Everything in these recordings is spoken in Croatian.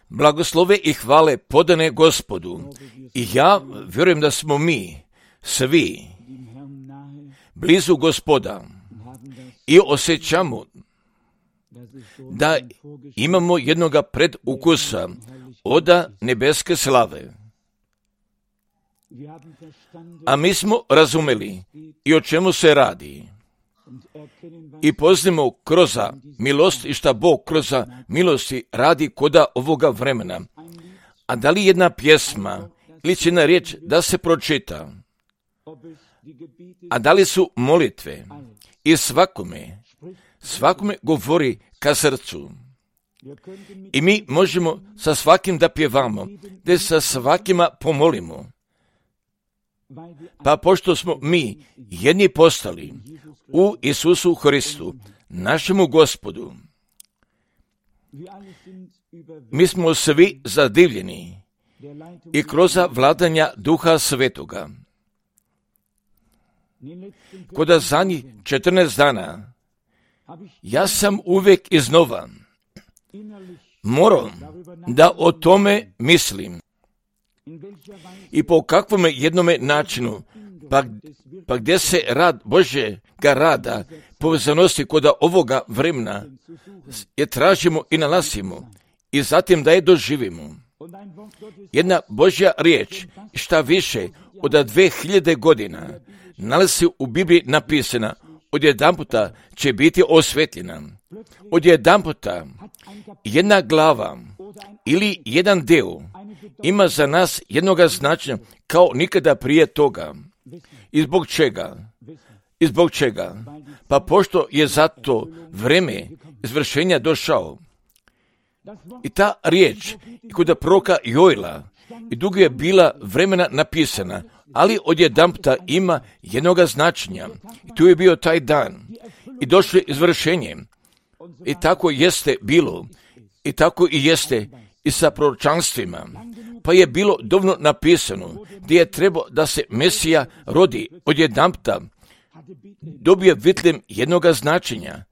Blagoslove i hvale podane Gospodu. I ja vjerujem da smo mi svi blizu Gospoda i osjećamo da imamo jednoga predukusa od nebeske slave. A mi smo razumeli i o čemu se radi. I poznamo kroz milost i šta Bog kroz milosti radi koda ovoga vremena. A da li jedna pjesma ili će jedna riječ da se pročita? A da li su molitve? I svakome govori ka srcu. I mi možemo sa svakim da pjevamo, da sa svakima pomolimo. Pa pošto smo mi jedni postali u Isusu Hristu, našemu Gospodu, mi smo svi zadivljeni i kroz vladanja Duha Svetoga. Koda zadnjih 14 dana, ja sam uvijek iznova morao da o tome mislim. I po kakvome jednome načinu, pa gdje se rad Božjega rada povezanosti kod ovoga vremena je tražimo i nalazimo i zatim da je doživimo. Jedna Božja riječ, šta više od 2000 godina, nalazi u Bibliji napisana, odjedanputa će biti osvetljena. Odjedanputa jedna glava ili jedan dio ima za nas jednoga značenja kao nikada prije toga. I zbog čega? Pa pošto je zato vreme izvršenja došao. I ta riječ kod proroka Joela i dugo je bila vremena napisana, ali odjedanputa ima jednoga značenja. I tu je bio taj dan. I došlo je izvršenje. I tako jeste bilo. I tako i jeste i sa proročanstvima. Pa je bilo dovoljno napisano gdje je trebao da se Mesija rodi odjedanputa. Dobije vitljem jednoga značenja.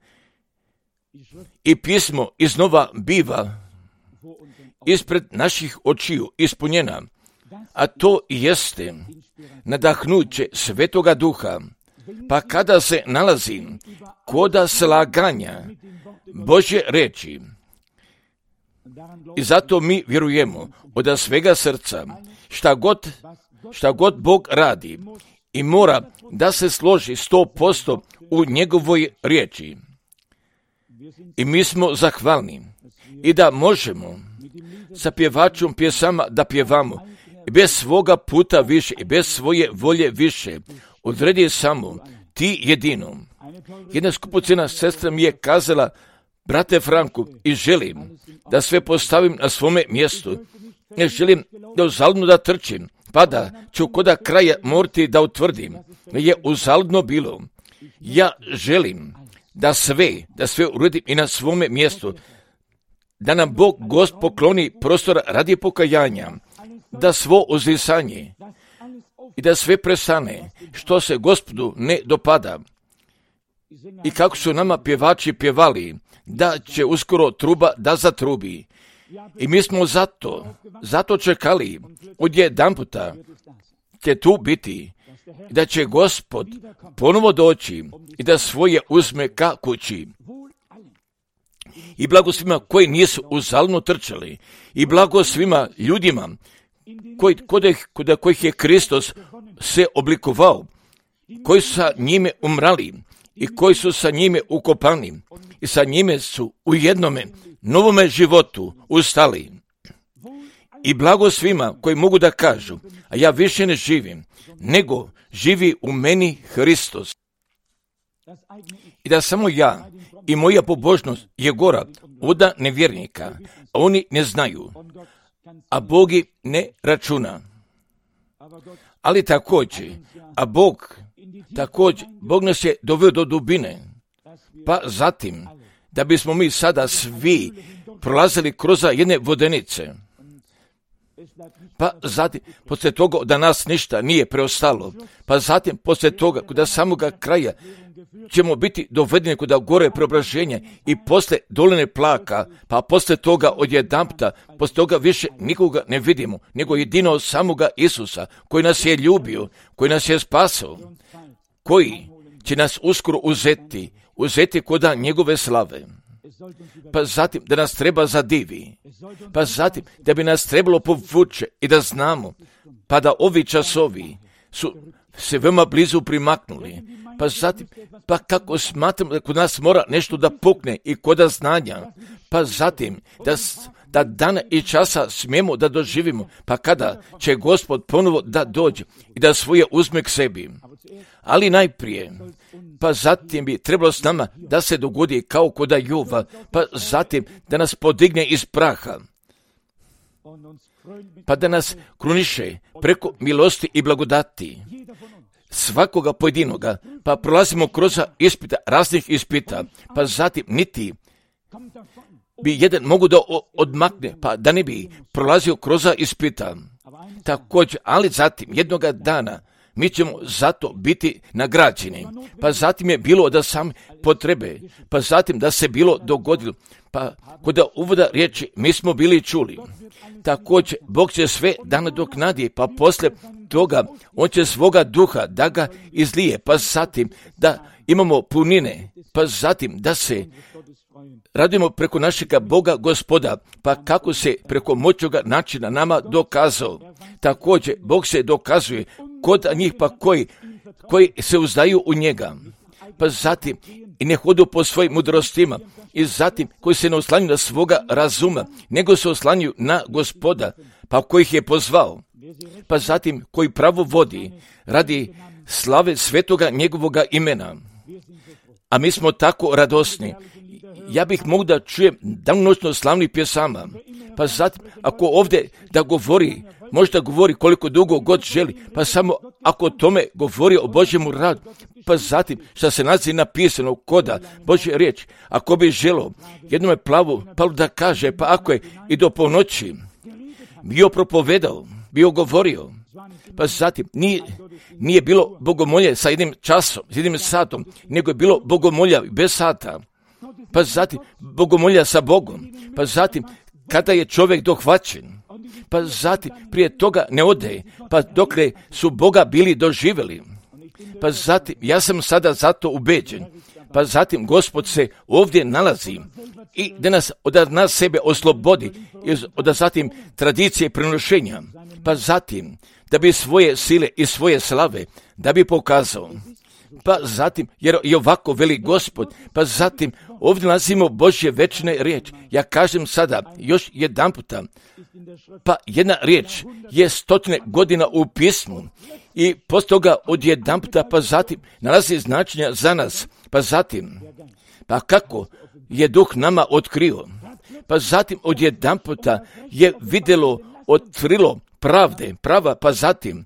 I pismo iznova biva ispred naših očiju ispunjena. A to jeste nadahnuće Svetoga Duha. Pa kada se nalazi koda slaganja Božje reči, i zato mi vjerujemo od svega srca šta god Bog radi i mora da se složi 100% u njegovoj riječi. I mi smo zahvalni i da možemo sa pjevačom pjesama da pjevamo i bez svoga puta više i bez svoje volje više. Odredi samo ti jedino. Jedna skupocjena sestra mi je kazala, brate Franku, i želim da sve postavim na svome mjestu. Ne želim da uzaludno da trčim, pa da ću koda kraja morati da utvrdim da je uzaludno bilo. Ja želim da sve uredim i na svome mjestu, da nam Bog Gost pokloni prostora radi pokajanja, da svo uzvisanje i da sve prestane što se Gospodu ne dopada. I kako su nama pjevači pjevali, da će uskoro truba da zatrubi. I mi smo zato čekali, odjedanputa će tu biti, da će Gospod ponovo doći i da svoje uzme ka kući. I blago svima koji nisu uzaludno trčali, i blago svima ljudima kod kojih je Kristus se oblikovao, koji su sa njime umrali i koji su sa njime ukopani i sa njime su u jednome novome životu ustali. I blago svima koji mogu da kažu, a ja više ne živim, nego živi u meni Hristos. I da samo ja i moja pobožnost je gora od nevjernika, a oni ne znaju, a Bog ne računa. Ali također, Bog nas je doveo do dubine, pa zatim, da bismo mi sada svi prolazili kroz jedne vodenice. Pa zatim, poslije toga da nas ništa nije preostalo, pa zatim poslije toga kod samoga kraja ćemo biti dovedeni kod gore preobraženja i poslije doline plaka, pa poslije toga odjedanputa, poslije toga više nikoga ne vidimo, nego jedino samoga Isusa, koji nas je ljubio, koji nas je spasao, koji će nas uskoro uzeti kod njegove slave. Pa zatim da nas treba zadivi, pa zatim da bi nas trebalo povuče i da znamo, pa da ovi časovi su se veoma blizu primaknuli, pa zatim, pa kako smatram da kod nas mora nešto da pukne i kod znanja, pa zatim da dana i časa smijemo da doživimo, pa kada će Gospod ponovo da dođe i da svoje uzme k sebi. Ali najprije, pa zatim bi trebalo s nama da se dogodi kao kod Jova, pa zatim da nas podigne iz praha, pa da nas kruniše preko milosti i blagodati svakoga pojedinoga, pa prolazimo kroz ispita, raznih ispita, pa zatim niti bi jedan mogu da odmakne, pa da ne bi prolazio kroz ispita. Također, ali zatim jednoga dana mi ćemo zato biti nagrađeni. Pa zatim je bilo da sam potrebe, pa zatim da se bilo dogodilo, pa kod uvoda riječi mi smo bili čuli. Također, Bog će sve da nadoknadi, pa poslije toga on će svoga duha da ga izlije, pa zatim da imamo punine, pa zatim da se radimo preko našega Boga Gospoda, pa kako se preko moćnoga načina nama dokazao. Također, Bog se dokazuje kod njih pa koji se uzdaju u njega, pa zatim i ne hodu po svojim mudrostima, i zatim koji se ne oslanjuju na svoga razuma, nego se oslanjuju na Gospoda, pa koji ih je pozvao, pa zatim koji pravo vodi radi slave svetoga njegovoga imena. A mi smo tako radosni. Ja bih mogu da čujem danonoćno slavnih pjesama, pa zatim ako ovdje da govori, možda govori koliko dugo god želi, pa samo ako tome govori o Božjemu radu, pa zatim što se nalazi napisano koda Božje riječ, ako bi želo jednome plavu da kaže, pa ako je i do ponoći bio propovedao, bio govorio, pa zatim nije bilo bogomolje sa jednim časom, s jednim satom, nego je bilo bogomolja bez sata, pa zatim bogomolja sa Bogom, pa zatim kada je čovjek dohvaćen, pa zatim prije toga ne ode, pa dokle su Boga bili doživjeli, pa zatim ja sam sada zato ubeđen, pa zatim Gospod se ovdje nalazi i da nas od nas sebe oslobodi od zatim tradicije prenošenja, pa zatim da bi svoje sile i svoje slave da bi pokazao. Pa zatim, jer i ovako veli Gospod, pa zatim ovdje nalazimo Božje večne riječ. Ja kažem sada još jedan puta, pa jedna riječ je 100 godina u pismu i poslije toga od jedan puta, pa zatim nalazi značenja za nas, pa zatim, pa kako je Duh nama otkrio, pa zatim od jedan puta je vidjelo, otkrilo prava, pa zatim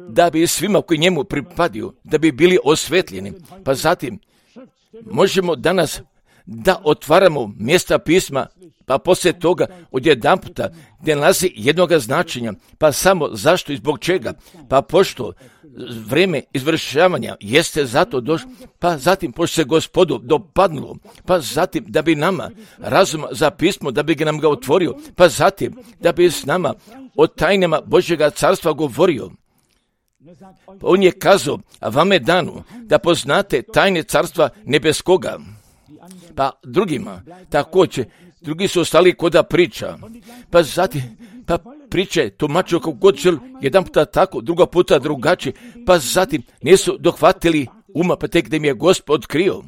da bi svima koji njemu pripadaju, da bi bili osvetljeni, pa zatim možemo danas da otvaramo mjesta pisma, pa poslije toga odjedanputa gdje nalazi jednoga značenja, pa samo zašto i zbog čega, pa pošto vrijeme izvršavanja jeste zato došlo, pa zatim pošto se Gospodu dopadnulo, pa zatim da bi nama razum za pismo, da bi ga nam ga otvorio, pa zatim da bi s nama o tajnama Božjega carstva govorio. On je kazao, a vam je dano da poznate tajne carstva nebeskoga. Pa drugima, također, drugi su ostali koda priča. Pa zatim, pa priče tumačio kako god želi, jedan puta tako, druga puta drugačije, pa zatim nisu dohvatili uma, pa tek da im je Gospod otkrio.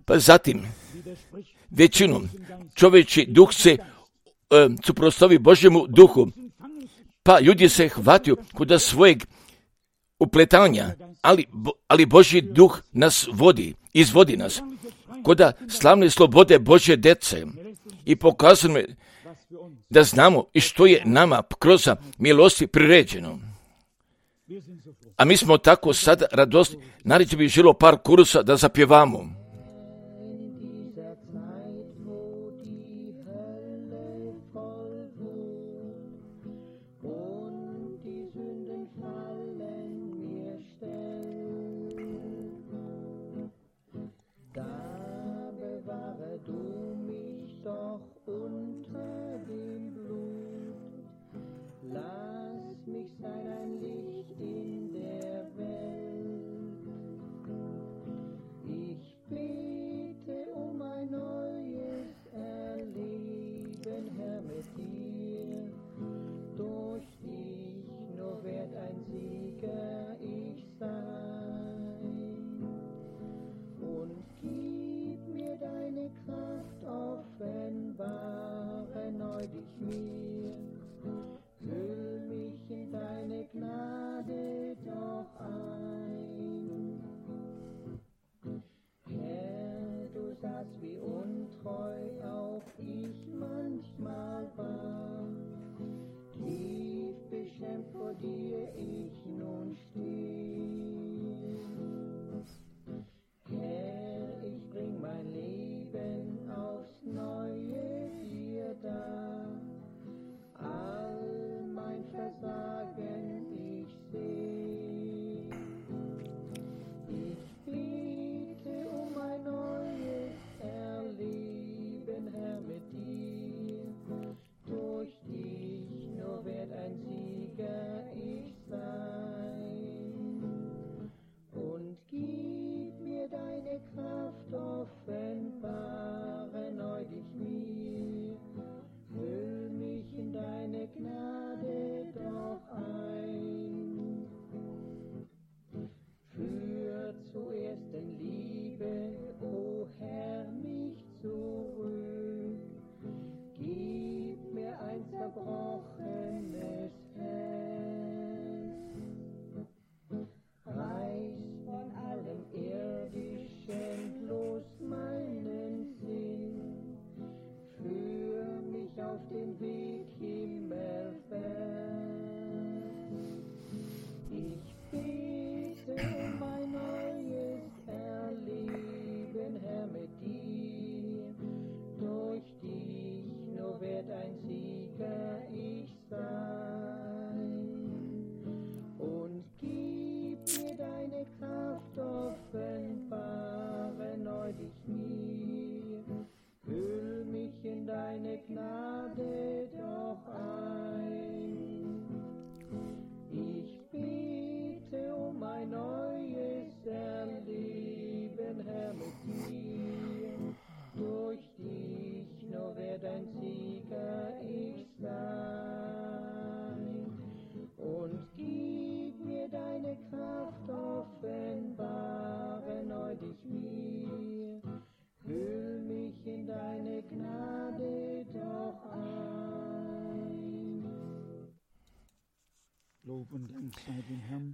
Pa zatim, većinom, čovječi duh se suprotstavi Božjemu duhu, pa ljudi se hvataju kod svojeg upletanja, ali Božji duh nas izvodi nas kod slavne slobode Božje djece i pokazuje da znamo i što je nama kroz milosti priređeno. A mi smo tako sad radosni, nareći bi želo par kurusa da zapjevamo.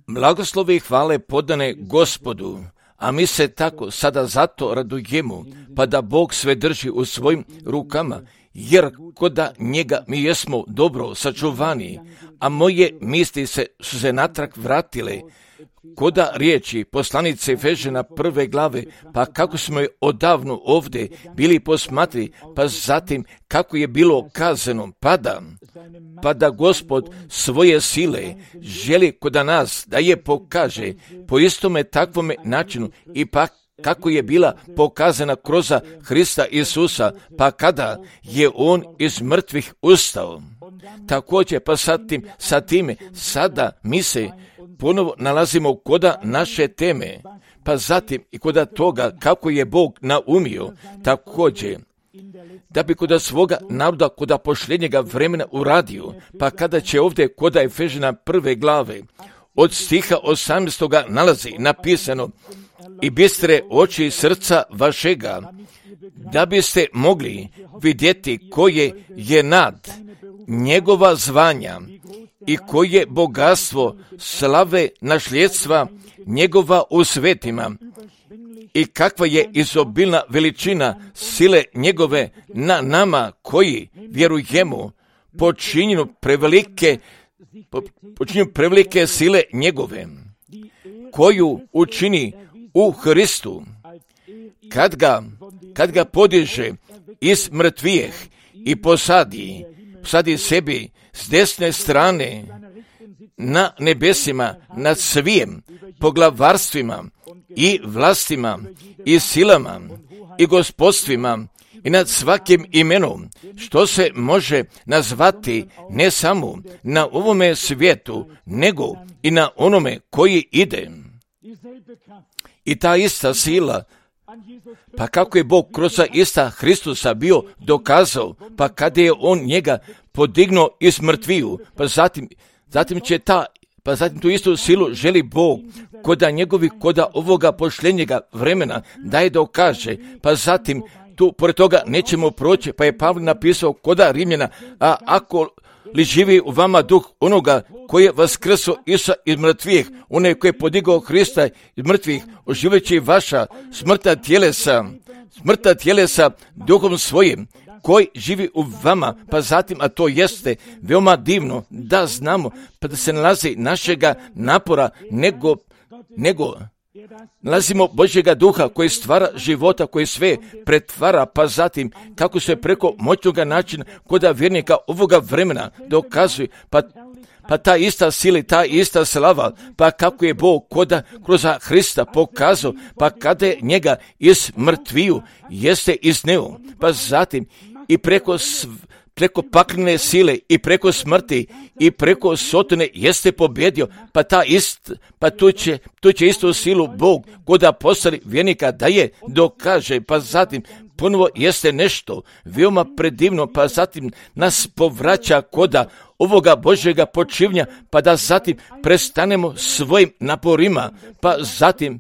Blagoslove i hvale podane Gospodu, a mi se tako sada zato radujemo, pa da Bog sve drži u svojim rukama, jer koda njega mi jesmo dobro sačuvani, a moje misli su se natrag vratile, koda riječi poslanice Efežana 1. glave, pa kako smo je odavno ovdje bili posmatri, pa zatim kako je bilo kazano, pa da Gospod svoje sile želi koda nas da je pokaže po istome takvome načinu i pa kako je bila pokazana kroz Hrista Isusa, pa kada je on iz mrtvih ustao. Također pa sa time sada mi se ponovo nalazimo koda naše teme, pa zatim i koda toga kako je Bog naumio također da bi koda svoga naroda koda posljednjega vremena uradio, pa kada će ovdje koda Efežana 1. glave od stiha 18. nalazi napisano: i bistre oči srca vašega, da biste mogli vidjeti koje je nad njegova zvanja i koje bogatstvo slave nasljedstva njegova u svetima i kakva je izobilna veličina sile njegove na nama koji vjerujemo, počinju prevelike sile njegove, koju učini u Hristu, kad ga podiže iz mrtvijeh i posadi sebi s desne strane na nebesima nad svim poglavarstvima i vlastima i silama i gospodstvima i nad svakim imenom što se može nazvati ne samo na ovome svijetu, nego i na onome koji ide. I ta ista sila, pa kako je Bog kroz ista Hristusa bio dokazao, pa kada je on njega podignuo iz mrtviju, pa zatim tu istu silu želi Bog koda ovoga posljednjega vremena da je dokaže, pa zatim tu pored toga nećemo proći, pa je Pavle napisao koda Rimljana: a ako li živi u vama duh onoga koji je vaskrso Isusa iz mrtvih, onaj koji je podigao Hrista iz mrtvih, oživljajući vaša smrtna tjelesa duhom svojim, koji živi u vama, pa zatim, a to jeste veoma divno da znamo, pa da se nalazi našega napora, nego nalazimo Božjega duha koji stvara života, koji sve pretvara, pa zatim kako se preko moćnoga načina koda vjernika ovoga vremena dokazuje, pa ta ista sila, ta ista slava, pa kako je Bog kroz Hrista pokazao, pa kada je njega iz mrtviju jeste izneo, pa zatim i preko paklene sile i preko smrti i preko sotone jeste pobjedio, pa tu će istu silu Bog koda postali vjernika da je dokaže, pa zatim ponovo jeste nešto veoma predivno, pa zatim nas povraća koda ovoga Božjega počivnja, pa da zatim prestanemo svojim naporima, pa zatim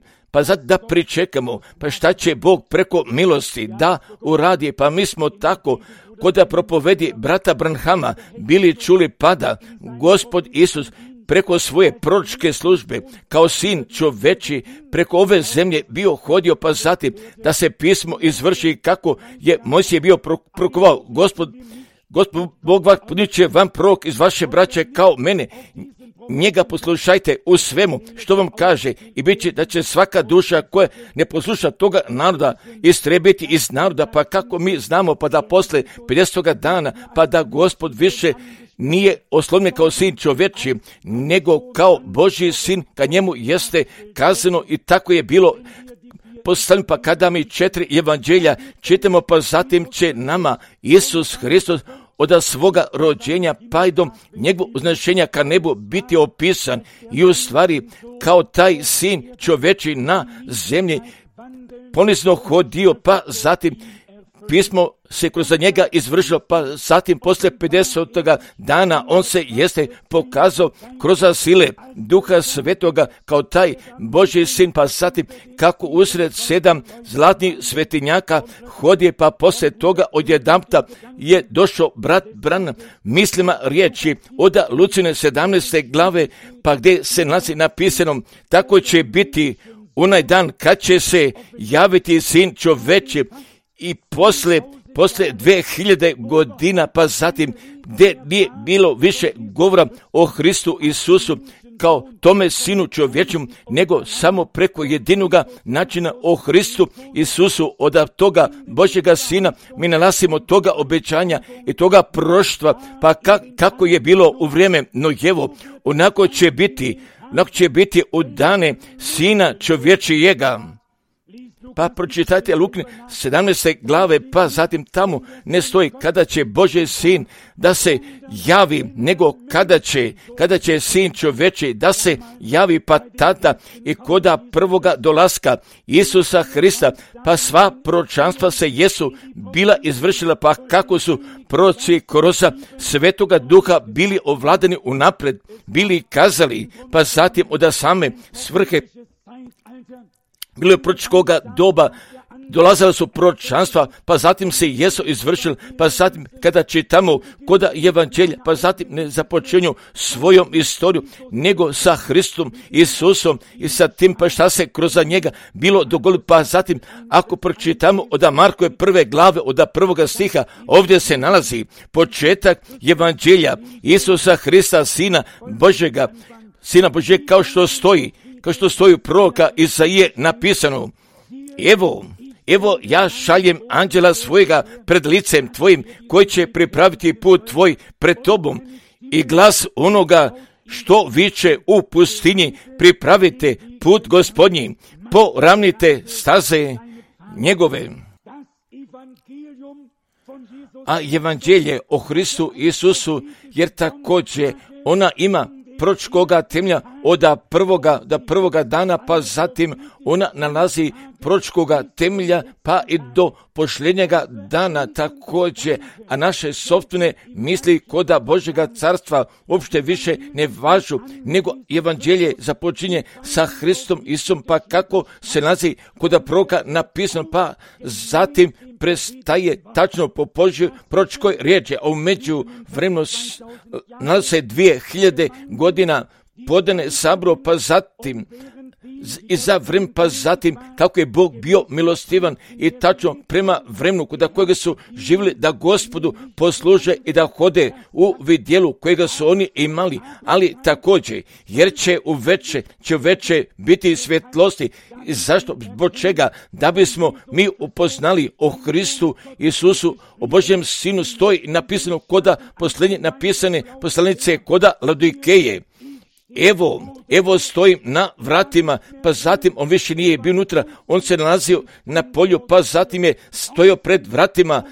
da pričekamo, pa šta će Bog preko milosti da uradi, pa mi smo tako koda propovedi brata Branhama bili čuli, pada Gospod Isus preko svoje proročke službe kao sin čoveči preko ove zemlje bio hodio, pa zatim da se pismo izvrši kako je Mojsije bio prokovao: Gospod Bog vas podiće vam prorok iz vaše braće kao mene, njega poslušajte u svemu što vam kaže i bit će da će svaka duša koja ne posluša toga naroda istrebiti iz naroda, pa kako mi znamo, pa da posle 50. dana, pa da Gospod više nije oslovljen kao sin čovječi, nego kao Božji sin, kad njemu jeste kazano i tako je bilo postavljeno, pa kada mi 4 evanđelja čitamo, pa zatim će nama Isus Hristos od svoga rođenja pa i do njegovog uznešenja ka nebu biti opisan i u stvari kao taj sin čoveči na zemlji ponizno hodio, pa zatim pismo se kroz njega izvršilo, pa zatim poslije 50. dana on se jeste pokazao kroz sile Duha Svetoga kao taj Božji sin, pa zatim kako usred 7 zlatnih svetinjaka hodije, pa poslije toga odjedanputa je došao brat Branham mislima riječi od Lucine 17. glave, pa gdje se nalazi napisano: tako će biti onaj dan kad će se javiti sin čoveči. I poslije 2000 godina, pa zatim gdje nije bilo više govora o Hristu Isusu kao tome sinu čovječom, nego samo preko jedinoga načina o Hristu Isusu, od toga Božjega sina mi nalazimo toga obećanja i toga proštva, pa kako je bilo u vrijeme Nojevo, onako će biti u dane sina čovječijega. Pa pročitajte Lukine 17. glave, pa zatim tamo ne stoji kada će Božji sin da se javi, nego kada će sin čovječi da se javi, pa tada i koda prvoga dolaska Isusa Hrista, pa sva proročanstva se jesu bila izvršila, pa kako su proroci kroz Svetoga Duha bili ovladani unaprijed, bili kazali, pa zatim od same svrhe bilo je proročkoga doba, dolazila su proročanstva, pa zatim se jesu izvršili, pa zatim kada čitamo koda evanđelja, pa zatim ne započinju svojom istoriju, nego sa Hristom Isusom i sa tim pa šta se kroz njega bilo dogodilo, pa zatim ako pročitamo od Markove 1. glave, od 1. stiha, ovdje se nalazi početak evanđelja Isusa Hrista, Sina Božjega, kao što stoji u proroka Isaije napisano: Evo ja šaljem anđela svojega pred licem tvojim, koji će pripraviti put tvoj pred tobom, i glas onoga što viče u pustinji: pripravite put Gospodnji, poravnite staze njegove. A evanđelje o Hristu Isusu, jer također ona ima proročkoga temelja od prvoga dana, pa zatim ona nalazi proročkoga temelja pa i do posljednjega dana također, a naše sopstvene misli koda Božjega carstva uopšte više ne važu, nego evanđelje započinje sa Hristom Isusom, pa kako se nalazi koda proroka napisano, pa zatim prestaje tačno po Božjoj proročkoj riječi, a u međuvremenu nalazi se 2000 godina podane sabro, pa zatim i za vreme, pa zatim kako je Bog bio milostivan i tačno prema vremenu kod kojega su živjeli da Gospodu posluže i da hode u vidjelu kojega su oni imali, ali također jer će u veče biti svjetlosti. I zašto? Zbog čega? Da bismo mi upoznali o Hristu Isusu, o Božjem sinu, stoji napisano koda posljednje napisane poslanice koda Laodikeje: Evo stojim na vratima, pa zatim on više nije bio unutra, on se nalazio na polju, pa zatim je stojao pred vratima,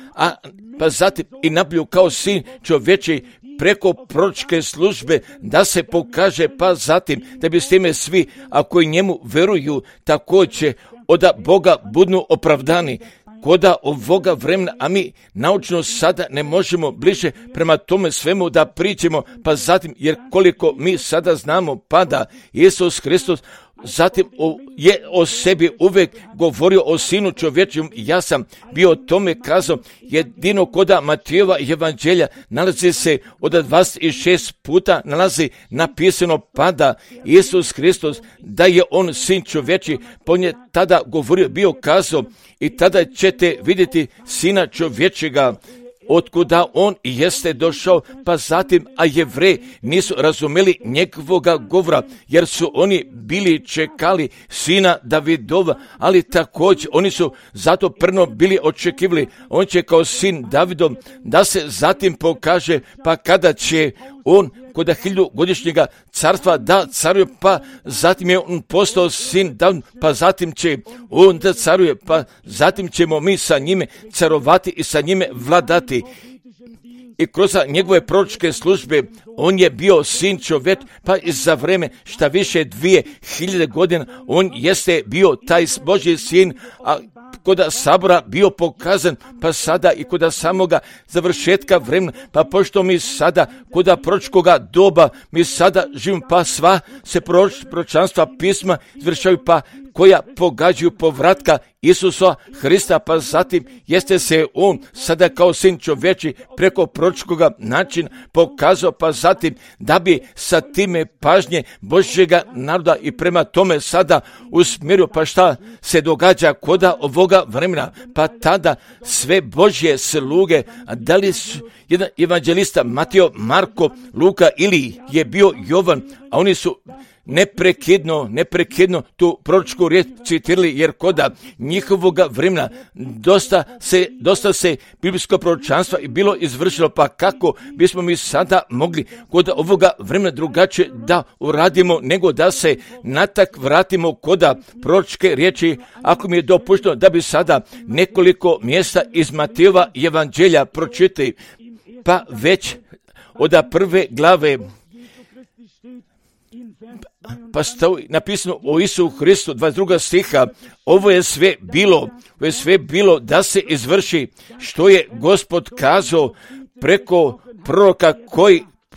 pa zatim i nablju kao sin čovječi preko proročke službe da se pokaže, pa zatim da bi s time svi, ako i njemu veruju, također od Boga budnu opravdani. Koda ovoga vremena, a mi naučno sada ne možemo bliže prema tome svemu da pričamo, pa zatim, jer koliko mi sada znamo, pada Isus Hristos, zatim je o sebi uvijek govorio o sinu čovječjem. Ja sam bio o tome kazao, jedino koda Matijeva evanđelja nalazi se od 26 puta nalazi napisano pada Isus Hristos, da je on sin čovječi, on je tada govorio, bio kazao: i tada ćete vidjeti sina čovječega, otkuda on jeste došao, pa zatim, a Jevreji nisu razumeli njegovoga govora, jer su oni bili čekali sina Davidova, ali također oni su zato prno bili očekivali, on će kao sin Davidov da se zatim pokaže, pa kada će on kod 1000-godišnjega carstva da caruje, pa zatim je on postao sin David, pa zatim će on da caruje, pa zatim ćemo mi sa njime carovati i sa njime vladati. I kroz njegove proročke službe on je bio sin čovjek, pa i za vreme šta više 2000 godina on jeste bio taj Božji sin, a koda sabora bio pokazan, pa sada i koda samoga završetka vremena, pa pošto mi sada koda proročkoga doba, mi sada živimo, pa sva se proročanstva pisma izvršavaju, pa koja pogađaju povratka Isusa Hrista, pa zatim jeste se on sada kao sin čovječi preko proročkoga načina pokazao, pa zatim da bi sa time pažnje Božjega naroda i prema tome sada usmjerio, pa šta se događa koda ovoga vremena, pa tada sve Božje sluge, da li su jedan evanđelista Mateo, Marko, Luka ili je bio Jovan, a oni su neprekidno tu proročku riječ citirali, jer koda njihovoga vremena dosta se biblijsko proročanstvo i bilo izvršilo, pa kako bismo mi sada mogli koda ovoga vremena drugačije da uradimo, nego da se natak vratimo koda proročke riječi, ako mi je dopušteno da bi sada nekoliko mjesta iz Matejova evanđelja pročitali, pa već od prve glave, pa stoji napisano o Isusu Hristu, 22. stiha, ovo je sve bilo da se izvrši što je Gospod kazao preko proroka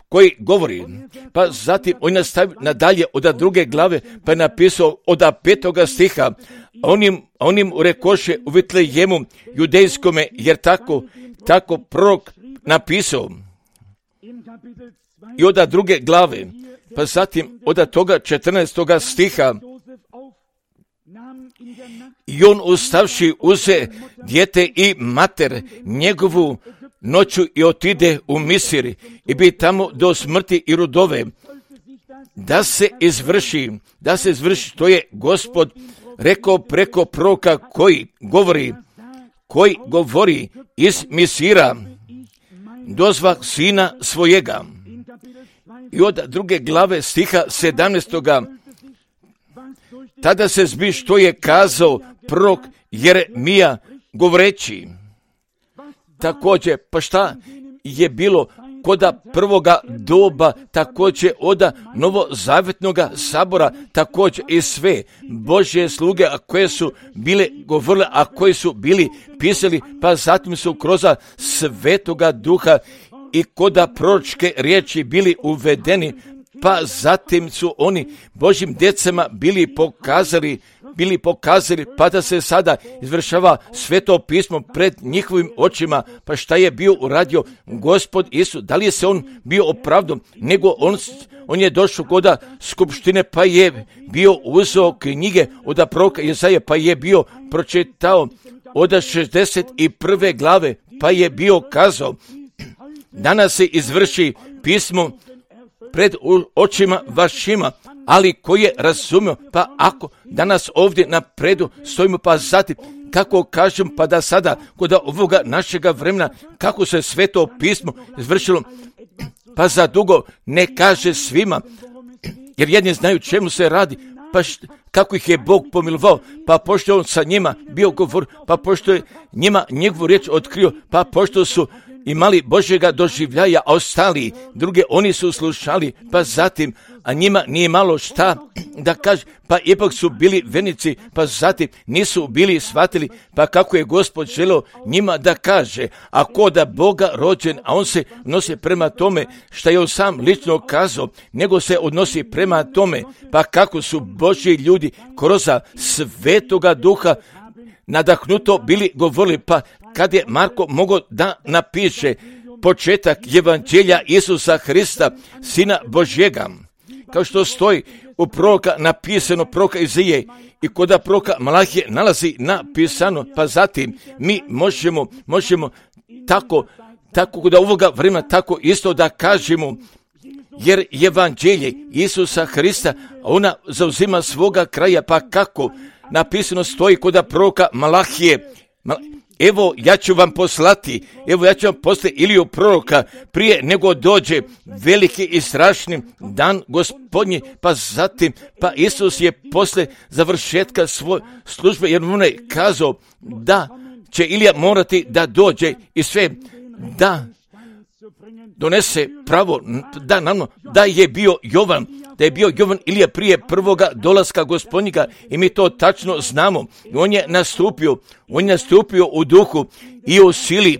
koji govori. Pa zatim on nastavi nadalje od druge glave, pa je napisao od 5. stiha, onim rekoše u Vitlejemu judejskome, jer tako prorok napisao. I od druge glave, pa zatim od toga 14. stiha, i on ustavši uze dijete i mater njegovu noću i otide u Misir i bi tamo do smrti i rudove, da se izvrši što je Gospod rekao preko proroka koji govori iz Misira, dozva sina svojega. I od druge glave stiha 17. tada se zbi što je kazao prorok Jeremija govoreći. Također, pa šta je bilo koda prvoga doba, također od novozavjetnoga sabora, također i sve Božje sluge, a koje su bile govorile, a koji su bili pisali, pa zatim su kroz Svetoga Duha i koda proročke riječi bili uvedeni, pa zatim su oni Božjim djecama bili pokazali, pa da se sada izvršava Sveto pismo pred njihovim očima. Pa šta je bio uradio Gospod Isus? Da li je se on bio opravdan, nego on je došao koda skupštine, pa je bio uzeo knjige od proroka Jesaje, pa je bio pročitao od 61. glave, pa je bio kazao, danas se izvrši pismo pred očima vašima, ali koji je razumio, pa ako danas ovdje na predu stojimo, pa zatim kako kažem, pa da sada kod ovoga našega vremena kako se Sveto pismo izvršilo, pa za dugo ne kaže svima, jer jedni znaju čemu se radi, pa kako ih je Bog pomilovao, pa pošto on sa njima bio govor, pa pošto je njima njegovu riječ otkrio, pa pošto su imali Božjega doživljaja, a ostali druge oni su slušali, pa zatim, a njima nije malo šta da kaže, pa ipak su bili vernici, pa zatim nisu bili shvatili, pa kako je Gospod želeo njima da kaže, a ko da Boga rođen, a on se odnosi prema tome što je on sam lično kazao, nego se odnosi prema tome, pa kako su Božji ljudi kroz Svetoga Duha nadahnuto bili govorili, pa kad je Marko mogao da napiše početak evanđelja Isusa Hrista, Sina Božjega, kao što stoji u proroka napisano, proroka Izije, i kod proroka Malahije nalazi napisano, pa zatim mi možemo tako kod ovoga vremena tako isto da kažemo, jer evanđelje Isusa Hrista, ona zauzima svoga kraja, pa kako napisano stoji kod proroka Malahije, evo ja ću vam poslati Iliju proroka prije nego dođe veliki i strašni dan Gospodnji, pa zatim, pa Isus je posle završetka svoje službe, jer on je kazao da će Ilija morati da dođe i sve da donese pravo, da je bio Jovan da je bio Jovan Ilija prije prvoga dolaska Gospodnjega i mi to tačno znamo. On je nastupio u duhu i u sili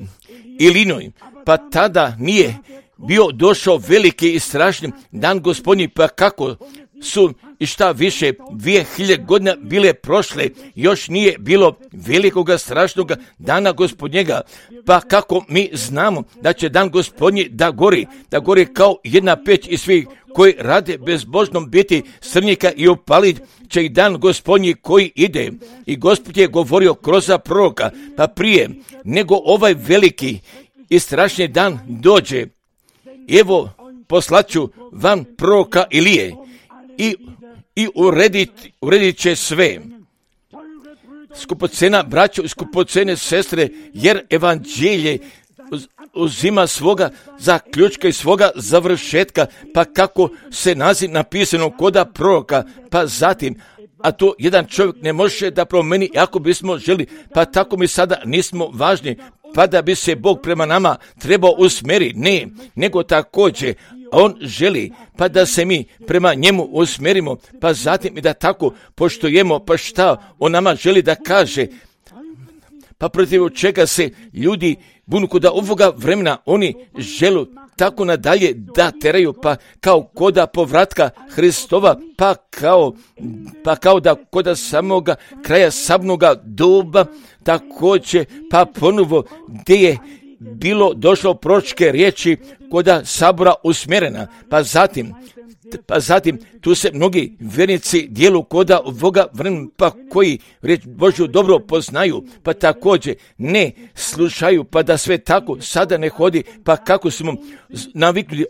i linoj, pa tada nije bio došao veliki i strašni dan Gospodnji, pa kako su i šta više 2000 godina bile prošle, još nije bilo velikoga strašnoga dana Gospodnjega, pa kako mi znamo da će dan Gospodnji da gori kao jedna peć i svi koji rade bezbožnom biti srnjika i opalit će i dan Gospodnji koji ide. I Gospod je govorio kroz proroka, pa prije nego ovaj veliki i strašni dan dođe, evo poslaću vam proroka Ilije i uredit će sve. Skupocena braćo i skupocene sestre, jer evanđelje uzima svoga zaključka i svoga završetka, pa kako se naziv napisano koda proroka, pa zatim, a to jedan čovjek ne može da promeni ako bismo želi, pa tako mi sada nismo važni, pa da bi se Bog prema nama trebao usmjeriti, ne, nego također On želi, pa da se mi prema njemu usmjerimo, pa zatim i da tako poštujemo, pa šta On nama želi da kaže, pa protiv čega se ljudi bunu koda ovoga vremena, oni žele tako nadalje da teraju, pa kao koda povratka Hristova, pa kao da koda samoga kraja sabnoga doba, također pa ponovo gdje je bilo došlo proročke riječi koda sabora usmjerena, pa zatim tu se mnogi vjernici dijelu koda ovoga vremena, pa koji riječ Božju dobro poznaju, pa također ne slušaju, pa da sve tako sada ne hodi, pa kako smo naviknuli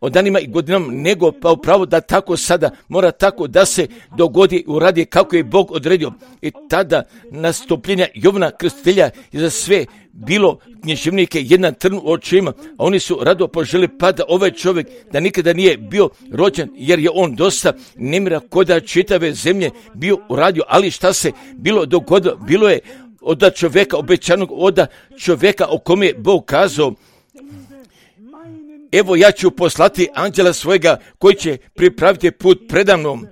od danima i godinama, nego pa upravo da tako sada mora tako da se dogodi, uradi kako je Bog odredio. I tada nastupljenja Jovana Krstitelja je za sve bilo književnike jedan trn u očima, a oni su rado poželi pa da ovaj čovjek da nikada nije bio rođen, jer je on dosta nemira koda čitave zemlje bio uradio, ali šta se bilo dogodilo, bilo je od čovjeka obećanog, od čovjeka o kome je Bog kazao, evo ja ću poslati anđela svojega koji će pripraviti put predamnom.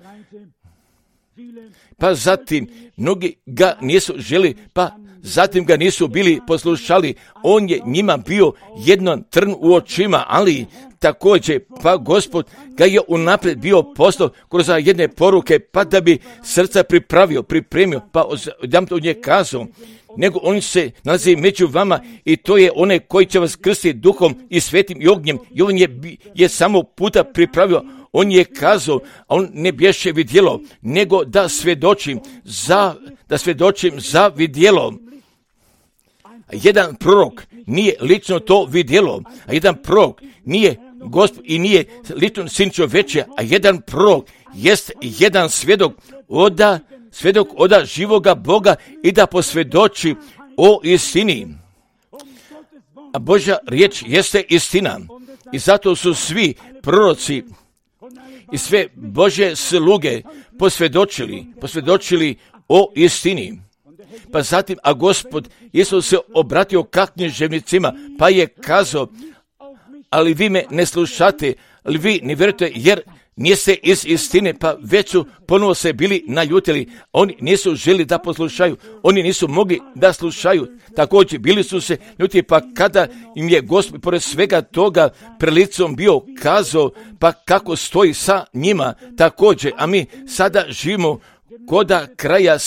Pa zatim mnogi ga nisu želi, pa zatim ga nisu bili poslušali, on je njima bio jedan trn u očima, ali također pa Gospod ga je unaprijed bio poslao kroz jedne poruke, pa da bi srca pripremio, pa odam to nje kazao, nego on se nalazi među vama i to je onaj koji će vas krstiti duhom i svetim i ognjem, i on je samo puta pripravio. On je kazao, a on ne bješe vidjelo, nego da svjedočim za vidjelo. Jedan prorok nije lično to vidjelo, a jedan prorok nije Gospod i nije lično sin čovječja, a jedan prorok jest jedan svjedok oda živoga Boga i da posvjedoči o istini. A Božja riječ jeste istina i zato su svi proroci i sve Božje sluge posvjedočili o istini. Pa zatim, a Gospod Isus se obratio ka književnicima, pa je kazao, ali vi me ne slušate, ali vi ne vjerujete, jer niste iz istine, pa već su ponovo se bili naljutili. Oni nisu želi da poslušaju, oni nisu mogli da slušaju. Također bili su se ljuti, pa kada im je Gospod pored svega toga prelicom bio kazao, pa kako stoji sa njima također, a mi sada živimo koda kraja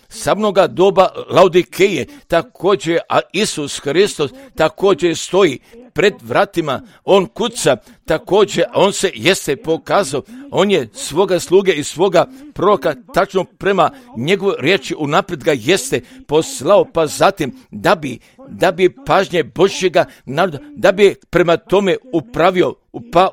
sabnoga doba Laodikeje, također, a Isus Hristos također stoji pred vratima, on kuca, također, on se jeste pokazao, on je svoga sluge i svoga proroka tačno prema njegovoj riječi unaprijed ga jeste poslao, pa zatim da bi pažnje Božjega naroda, da bi prema tome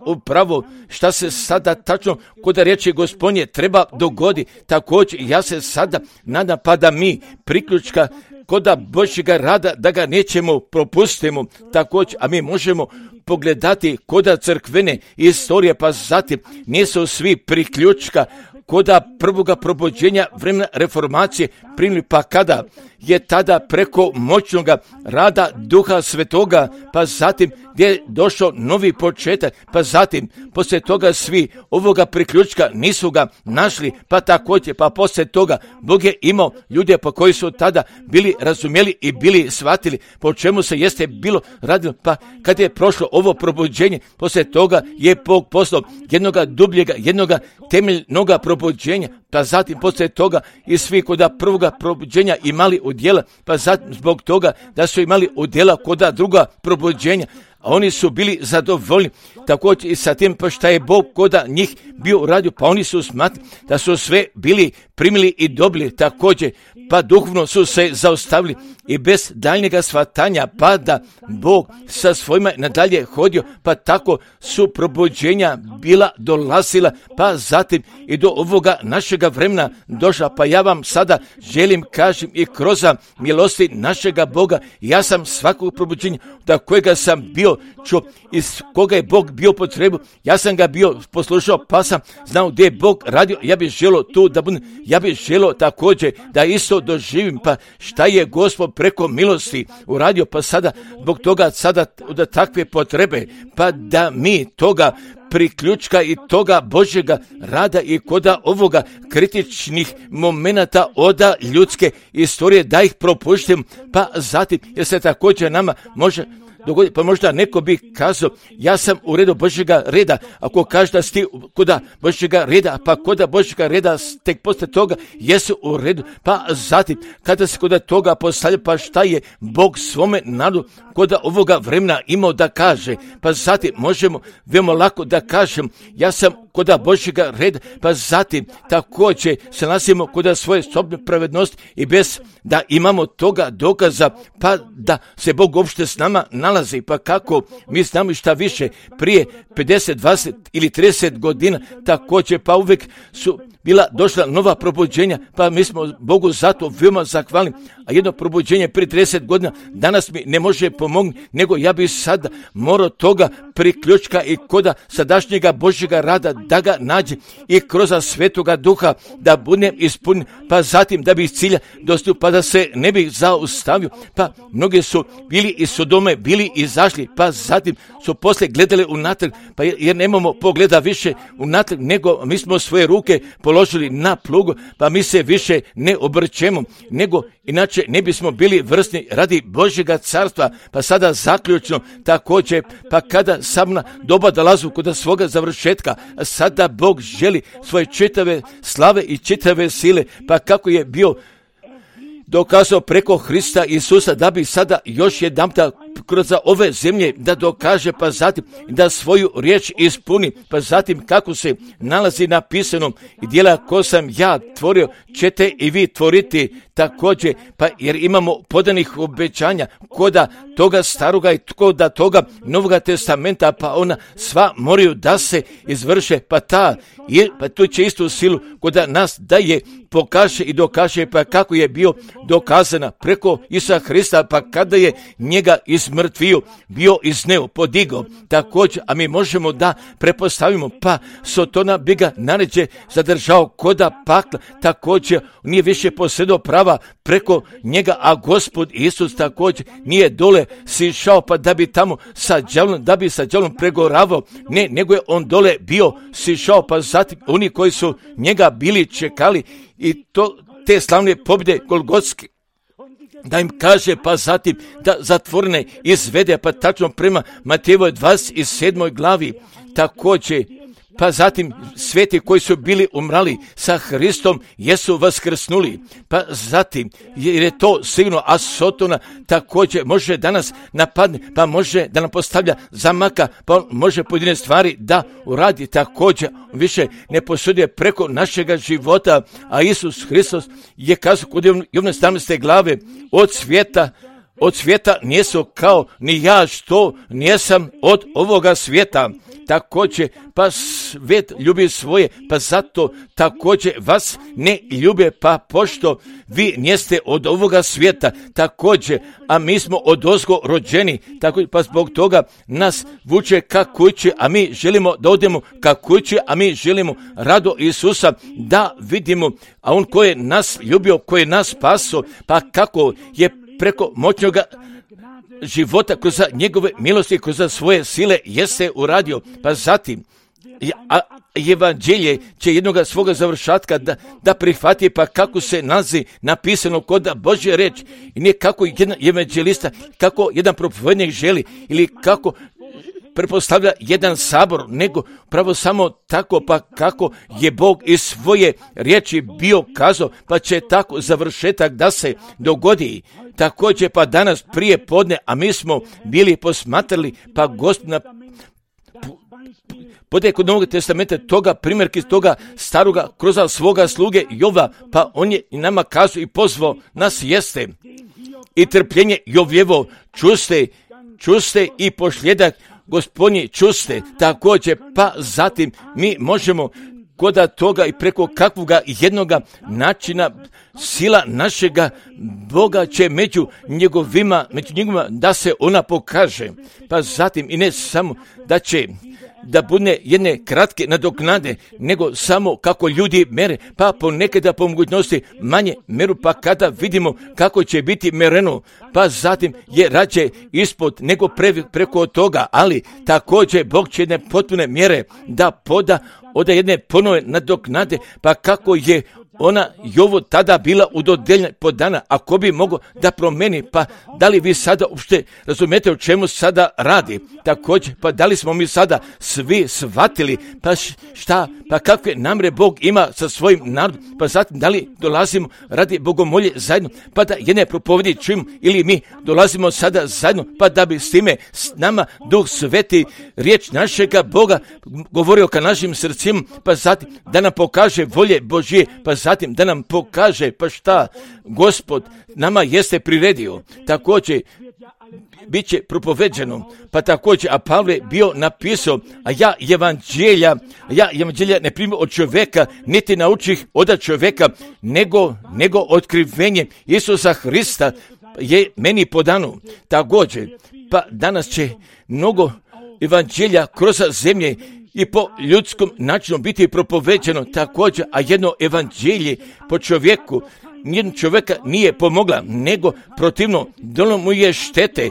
upravo šta se sada tačno kod riječi Gospodnje treba dogodi. Također ja se sada nadam pa da mi priključka koda Božjega rada da ga nećemo propustimo također, a mi možemo pogledati koda crkvene istorije, pa zatim nisu svi priključka koda prvoga probuđenja vremena reformacije primili, pa kada je tada preko moćnog rada Duha Svetoga, pa zatim gdje je došao novi početak, pa zatim poslije toga svi ovoga priključka nisu ga našli, pa također, pa poslije toga Bog je imao ljude po koji su tada bili razumjeli i bili shvatili po čemu se jeste bilo radilo, pa kad je prošlo ovo probuđenje, poslije toga je Bog poslao jednoga dubljega, jednoga temeljnoga probuđenja, pa zatim poslije toga i svi koda prvoga probuđenja imali udjela, pa zatim zbog toga da su imali udjela koda druga probuđenja, a oni su bili zadovoljni također i sa tim pa šta je Bog koda njih bio uradio, pa oni su smatrali da su sve bili primili i dobili također, pa duhovno su se zaustavili i bez daljnjega shvatanja, pa da Bog sa svojima nadalje hodio, pa tako su probuđenja bila dolazila, pa zatim i do ovoga našega vremena došla, pa ja vam sada želim kažem i kroz milosti našega Boga, ja sam svakog probuđenja da kojega sam bio čuo, iz koga je Bog bio potrebu, ja sam ga bio poslušao, pa sam znao gdje je Bog radio, ja bih želio tu da budem, ja bih želio također da isto doživim, pa šta je Gospod preko milosti uradio, pa sada zbog toga sada da takve potrebe, pa da mi toga priključka i toga Božjega rada i koda ovoga kritičnih momenata oda ljudske istorije da ih propuštim, pa zatim jer se također nama može dogoditi, pa možda neko bi kazao ja sam u redu Božjega reda, ako kaže da si koda Božjega reda, pa koda Božjega reda tek poslije toga jesu u redu, pa zatim kada se koda toga postavlja, pa šta je Bog svome narodu koda ovoga vremena imao da kaže, pa zatim možemo veoma lako da kažem ja sam koda Božjega reda, pa zatim također se nalazimo koda svoje sobne pravednosti i bez da imamo toga dokaza, pa da se Bog uopšte s nama nalazi, pa kako mi znamo šta više prije 50, 20 ili 30 godina također, pa uvijek su bila došla nova probuđenja, pa mi smo Bogu zato veoma zahvalni, a jedno probuđenje prije 30 godina danas mi ne može pomogni, nego ja bih sada morao toga priključka i koda sadašnjega Božjega rada da ga nađe i kroz Svetoga Duha da budem ispunjen, pa zatim da bi iz cilja dostio, pa da se ne bih zaustavio, pa mnogi su bili iz Sodome, bili izašli, pa zatim su poslije gledali unatrag, pa jer nemamo pogleda više unatrag, nego mi smo svoje ruke položili na plugu, pa mi se više ne obrćemo, nego inače ne bismo bili vrsni radi Božjega carstva, pa sada zaključno također, pa kada samna doba dolazu kod svoga završetka, sada Bog želi svoje čitave slave i čitave sile, pa kako je bio dokazao preko Hrista Isusa da bi sada još jedanputa kroz ove zemlje da dokaže, pa zatim da svoju riječ ispuni, pa zatim kako se nalazi napisanom i djela ko sam ja tvorio ćete i vi tvoriti također, pa jer imamo podanih obećanja koda toga staroga i koda toga Novoga testamenta, pa ona sva moraju da se izvrše, pa tu će istu silu koda nas da je pokaže i dokaže, pa kako je bio dokazana preko Isusa Hrista, pa kada je njega izmrtvio, bio iz neo podigao, također, a mi možemo da prepostavimo, pa Sotona bi ga naređe zadržao koda pakla, također nije više posjedao prava preko njega, a Gospod Isus također nije dole sišao, pa da bi tamo sa đavlom pregoravao, ne, nego je on dole bio sišao, pa zatim oni koji su njega bili čekali i te slavne pobjede Golgotske, da im kaže, pa zatim da zatvorene izvede, pa tačno prema Matejevoj 27. glavi, također, pa zatim sveti koji su bili umrali sa Hristom jesu vaskrsnuli, pa zatim jer je to sigurno, a Sotona također može danas napadne, pa može da nam postavlja zamaka, pa on može pojedine stvari da uradi, također više ne posuduje preko našega života, a Isus Hristos je kazao kod Jovne 17. glave, od svijeta nijesu kao ni ja što nijesam od ovoga svijeta. također, pa svijet ljubi svoje, pa zato također vas ne ljube, pa pošto vi njeste od ovoga svijeta, također, a mi smo odozgo rođeni, također, pa zbog toga nas vuče ka kući, a mi želimo da odemo ka kući, a mi želimo rado Isusa da vidimo, a on koji je nas ljubio, koji je nas spaso, pa kako je preko moćnoga života kroz njegove milosti, kroz svoje sile jeste uradio, pa zatim evanđelje će jednoga svoga završatka da prihvati, pa kako se nalazi napisano kod Božje reč i ne kako jedan evanđelista, kako jedan propovednik želi ili kako pretpostavlja jedan sabor, nego pravo samo tako, pa kako je Bog iz svoje riječi bio kazao, pa će tako završetak da se dogodi. Također pa danas prije podne, a mi smo bili posmatrali, pa Gospodina podaje kod Novog testamenta toga primjerke toga staroga kroz svoga sluge Jova, pa on je i nama kazao i pozvao nas jeste i trpljenje Jovljevo čuste i posljedak Gospodnji čuste, također pa zatim mi možemo kod toga i preko kakvoga jednoga načina sila našega Boga će među njegovima da se ona pokaže, pa zatim i ne samo da će da bude jedne kratke nadoknade, nego samo kako ljudi mere, pa ponekada po mogućnosti manje meru, pa kada vidimo kako će biti mereno, pa zatim je rađe ispod nego preko toga, ali također Bog će jedne potpune mjere da poda od jedne ponove nadoknade, pa kako je ona Jovo tada bila udodeljena podana, ako bi mogao da promeni, pa da li vi sada uopšte razumijete o čemu sada radi? Također, pa da li smo mi sada svi shvatili, pa šta, pa kakve namre Bog ima sa svojim narodom, pa zatim da li dolazimo radi bogomolje zajedno, pa da jedne propovedi čujemo, ili mi dolazimo sada zajedno, pa da bi s time s nama Duh Sveti riječ našega Boga govorio ka našim srcima, pa zatim da nam pokaže volje Božje, pa zatim da nam pokaže pa šta Gospod nama jeste priredio. Također bit će propoveđeno, pa također, a Pavle bio napisao, a ja evanđelja ne primio od čovjeka, niti naučih od čovjeka, nego otkrivenje Isusa Hrista je meni podano. Također, pa danas će mnogo evanđelja kroz zemlje i po ljudskom načinu biti propoveđeno također, a jedno evanđelje po čovjeku nijednog čovjeka nije pomogla, nego protivno donijelo mu je štete.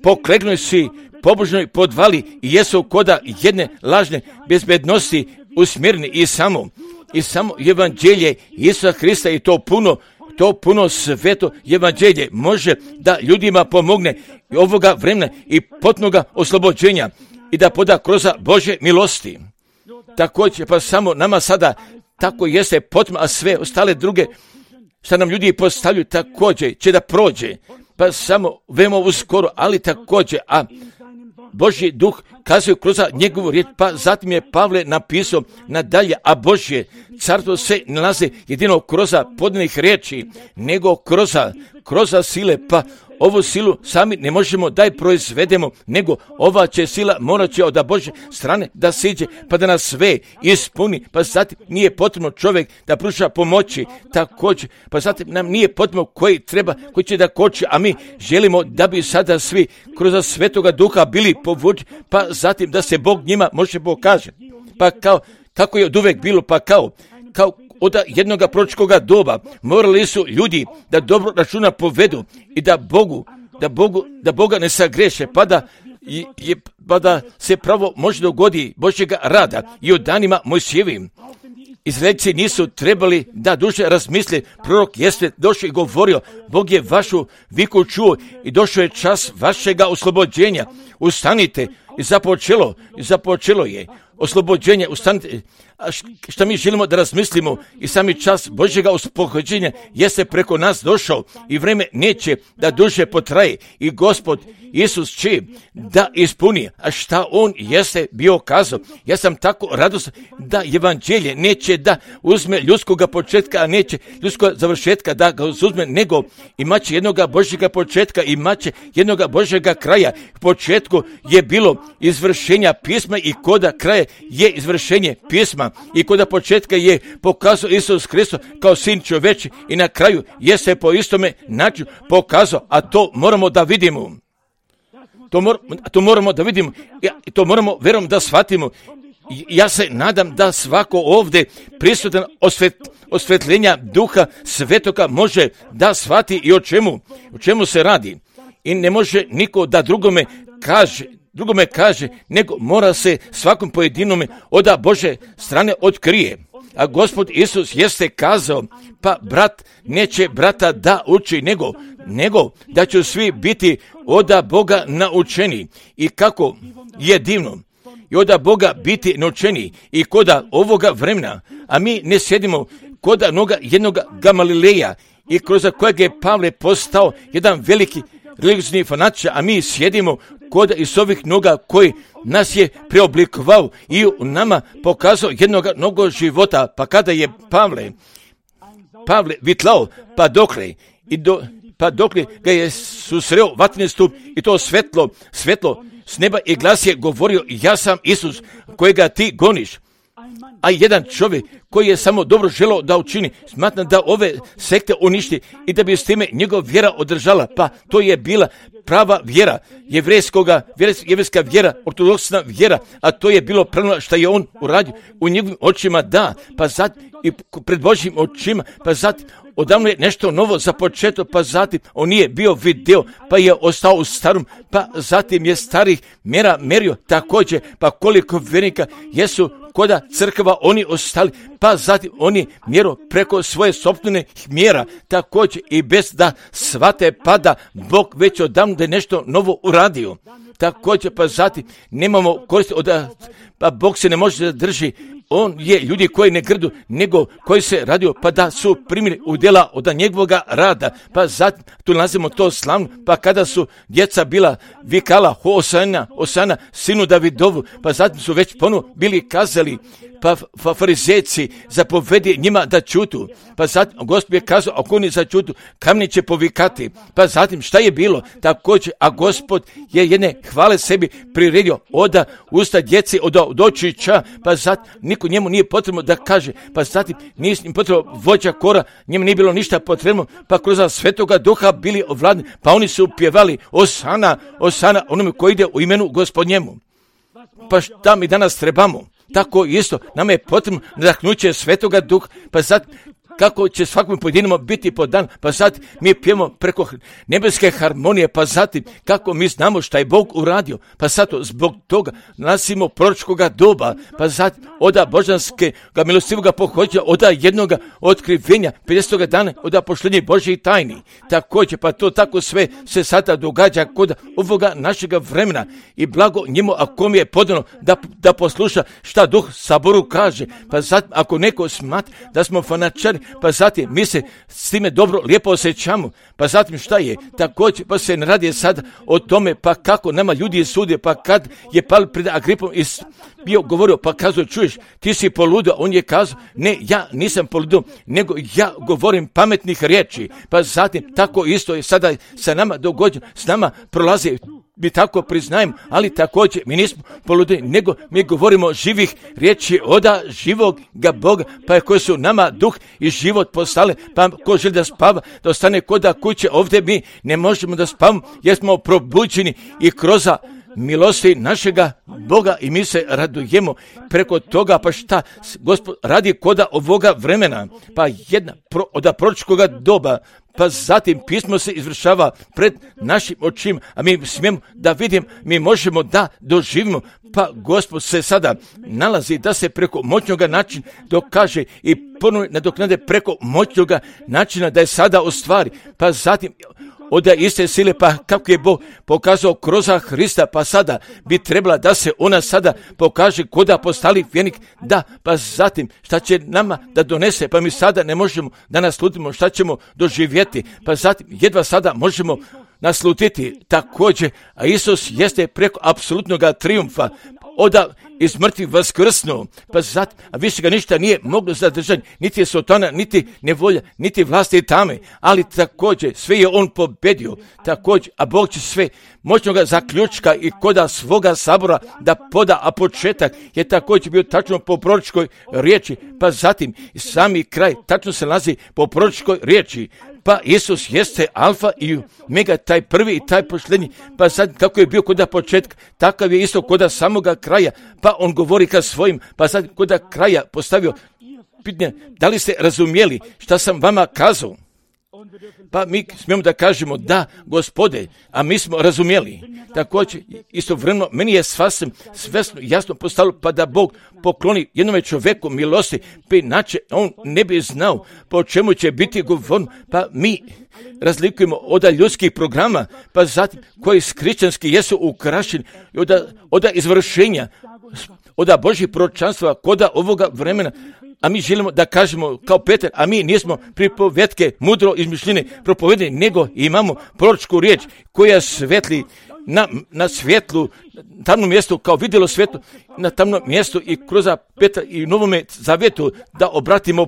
Poklegnuli si pobožnoj podvali i jesu koda jedne lažne bezbednosti usmjereni i samo evanđelje Isusa Hrista i to puno sveto evanđelje može da ljudima pomogne i ovoga vremena i potpunoga oslobođenja i da poda kroz Božje milosti. Također, pa samo nama sada tako jeste potrebno, a sve ostale druge što nam ljudi postavljaju također će da prođe, pa samo veoma uskoro, ali također, a Božji duh kazuje kroz njegovu riječ, pa zatim je Pavle napisao nadalje, a Božje carstvo se nalazi jedino kroz podanih riječi, nego kroz sile, pa ovu silu sami ne možemo da je proizvedemo, nego ova će sila morat će od Božje strane da siđe, pa da nas sve ispuni, pa zatim nije potrebno čovjek da pruža pomoći, također, pa zatim nam nije potrebno koji će da koči, a mi želimo da bi sada svi kroz Svetoga Duha bili povuči, pa zatim da se Bog njima može pokaže, pa kako je od uvek bilo, pa kao od jednoga proročkoga doba morali su ljudi da dobro računa povedu i da Boga ne sagreše, pa da se pravo može dogodi Božjega rada i u danima Mojsijevim. Izraelci nisu trebali da duže razmisle, prorok jeste došao i govorio, Bog je vašu viku čuo i došao je čas vašega oslobođenja. Ustanite i započelo je. oslobođenja, ustanite. Šta mi želimo da razmislimo i sami čas Božjega oslobođenja jeste preko nas došao i vreme neće da duže potraje i Gospod Isus će da ispuni, a šta on jeste bio kazao. Ja sam tako radostan da evanđelje neće da uzme ljudskoga početka, a neće ljudskog završetka da ga uzme, nego imaće jednoga Božjega početka, imaće jednoga Božjega kraja. U početku je bilo izvršenja pisma i koda kraja je izvršenje pisma i koda početka je pokazao Isus Hristos kao sin čoveči i na kraju je se po istome načinu pokazao, a to moramo da vidimo. To moramo da vidimo, to moramo verom da shvatimo. Ja se nadam da svako ovdje prisutan osvetljenja Duha Svetoga može da shvati i o čemu se radi. I ne može niko da drugome kaže, nego mora se svakom pojedinome od Bože strane otkrije. A Gospod Isus jeste kazao, pa brat neće brata da uči, nego da će svi biti od Boga naučeni. I kako je divno i od Boga biti naučeni i koda ovoga vremena, a mi ne sjedimo koda noga jednoga Gamalileja i kroz kojeg je Pavle postao jedan veliki religiozni fanatičar, a mi sjedimo kod iz ovih noga koji nas je preoblikovao i u nama pokazao jednog novog života. Pa kada je Pavle vitlao, pa dokle ga je susreo vatreni stup i to svetlo s neba i glas je govorio, ja sam Isus kojega ti goniš. A jedan čovjek koji je samo dobro želeo da učini, smatra da ove sekte uništi i da bi s time njegov vjera održala, pa to je bila prava vjera, jevrijska vjera, ortodoksna vjera, a to je bilo pravno što je on uradio u njegovim očima, da, pa zatim i pred Božjim očima, pa zatim odavno je nešto novo započeto, pa zatim on nije bio video, pa je ostao u starom, pa zatim je starih mjera merio također, pa koliko vjernika jesu koda crkva oni ostali, pa zatim oni mjeru preko svoje sopstvene mjera, također i bez da shvate pada Bog već odavno da je nešto novo uradio. Također pa zatim nemamo koristi pa Bog se ne može da drži. On je ljudi koji ne grdu, nego koji se radio, pa da su primili udjela od njegovoga rada. Pa zatim tu nalazimo to slavno, pa kada su djeca bila vikala Hosana, sinu Davidovu, pa zatim su već ponovo bili kazali, pa farizejci zapovedi njima da čutu. Pa zatim Gospod je kazao, ako oni začutu, kamni će povikati. Pa zatim šta je bilo? A Gospod je jedne hvale sebi priredio od usta djeci, od očića, pa zatim niko njemu nije potrebno da kaže, pa zatim nije im potrebno vođa kora, njemu nije bilo ništa potrebno, pa kroz Svetoga Duha bili ovladni, pa oni su pjevali Osana, onome koji ide u imenu Gospodnjemu. Pa šta mi danas trebamo? Tako isto, nama je potrebno nadahnuće Svetoga Duha, pa sad kako će svakom pojedinому biti podan, pa sad mi pijemo preko nebeske harmonije, pa zatim kako mi znamo šta je Bog uradio, pa sad zbog toga nasimo proročkoga doba, pa zatim oda božanskega milostivoga pohođa, oda jednoga otkrivenja, 50. dana, oda pošljenja Božjih tajni. Također, pa to tako sve se sada događa kod ovoga našega vremena i blago njemu, ako mi je podano da posluša šta Duh Saboru kaže, pa zatim ako neko smatra da smo fanatičari, pa zatim mi se s time dobro, lijepo osjećamo, pa zatim šta je? Također, pa se ne radi sad o tome, pa kako nama ljudi sude, pa kad je pal pred Agripom i bio govorio, pa kazao, čuješ, ti si poludio, on je kazao, ne, ja nisam poludio, nego ja govorim pametnih riječi, pa zatim tako isto je sada sa nama dogođeno, s nama prolazi, mi tako priznajem, ali također mi nismo poludili, nego mi govorimo živih riječi oda živoga Boga, pa koji su nama duh i život postale, pa ko želi da spava, da ostane koda kuće, ovdje mi ne možemo da spavamo, jer smo probuđeni i kroz milosti našega Boga i mi se radujemo preko toga, pa šta Gospod radi koda ovoga vremena, pa jedna od proročkoga doba, pa zatim pismo se izvršava pred našim očima, a mi smijemo da vidimo, mi možemo da doživimo, pa Gospod se sada nalazi da se preko moćnoga načina dokaže i ponovno nadoknade preko moćnoga načina da je sada ostvari, pa zatim od iste sile, pa kako je Bog pokazao kroz Hrista, pa sada bi trebala da se ona sada pokaže koda postali vjernik, da, pa zatim šta će nama da donese, pa mi sada ne možemo da naslutimo šta ćemo doživjeti, pa zatim jedva sada možemo naslutiti također, a Isus jeste preko apsolutnog trijumfa, oda iz mrtvih vaskrsnuo, pa zatim, a više ga ništa nije moglo zadržati, niti je Sotona, niti nevolja, niti vlasti tame, ali također sve je on pobedio, također, a Bog će sve moćnoga zaključka i koda svoga sabora da poda, a početak je također bio tačno po proročkoj riječi, pa zatim sami kraj tačno se nalazi po proročkoj riječi. Pa Isus jeste alfa i omega, taj prvi i taj posljednji, pa sad kako je bio koda početka, takav je isto koda samoga kraja, pa on govori ka svojim, pa sad koda kraja postavio pitanje, da li ste razumjeli šta sam vama kazao? Pa mi smijemo da kažemo da, Gospode, a mi smo razumjeli. Također, istovremeno, meni je svesno jasno postalo, pa da Bog pokloni jednome čovjeku milosti, pa inače on ne bi znao po čemu će biti govorno, pa mi razlikujemo od ljudskih programa, pa zatim koji hrišćanski jesu ukrašeni od izvršenja, od Božjih proročanstva, koda ovoga vremena, a mi želimo da kažemo kao Petar, a mi nismo pripovetke mudro izmišljene propovedene, nego imamo proročku riječ koja svetli na svjetlu, tamnom mjestu, kao vidjelo svjetlo na tamnom mjestu i kroz Petra i Novome Zavjetu da obratimo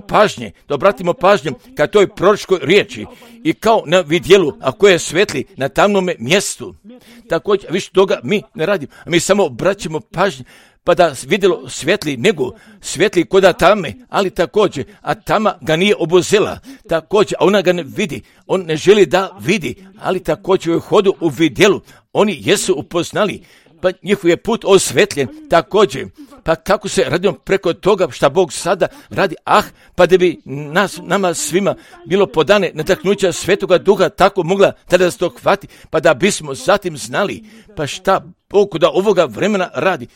pažnje ka toj proročkoj riječi i kao na vidjelu, a koje svetli na tamnome mjestu. Također, više toga mi ne radimo, a mi samo obraćamo pažnje, pa da vidjelo svetli, nego svetli koda tame, ali također, a tama ga nije obuzela, također, a ona ga ne vidi, on ne želi da vidi, ali također u hodu u vidjelu, oni jesu upoznali, pa njihov je put osvetljen, također, pa kako se radimo preko toga šta Bog sada radi, pa da bi nama svima bilo podane nadahnuća Svetoga Duha, tako mogla tada se to hvati, pa da bismo zatim znali, pa šta Bog da ovoga vremena radi.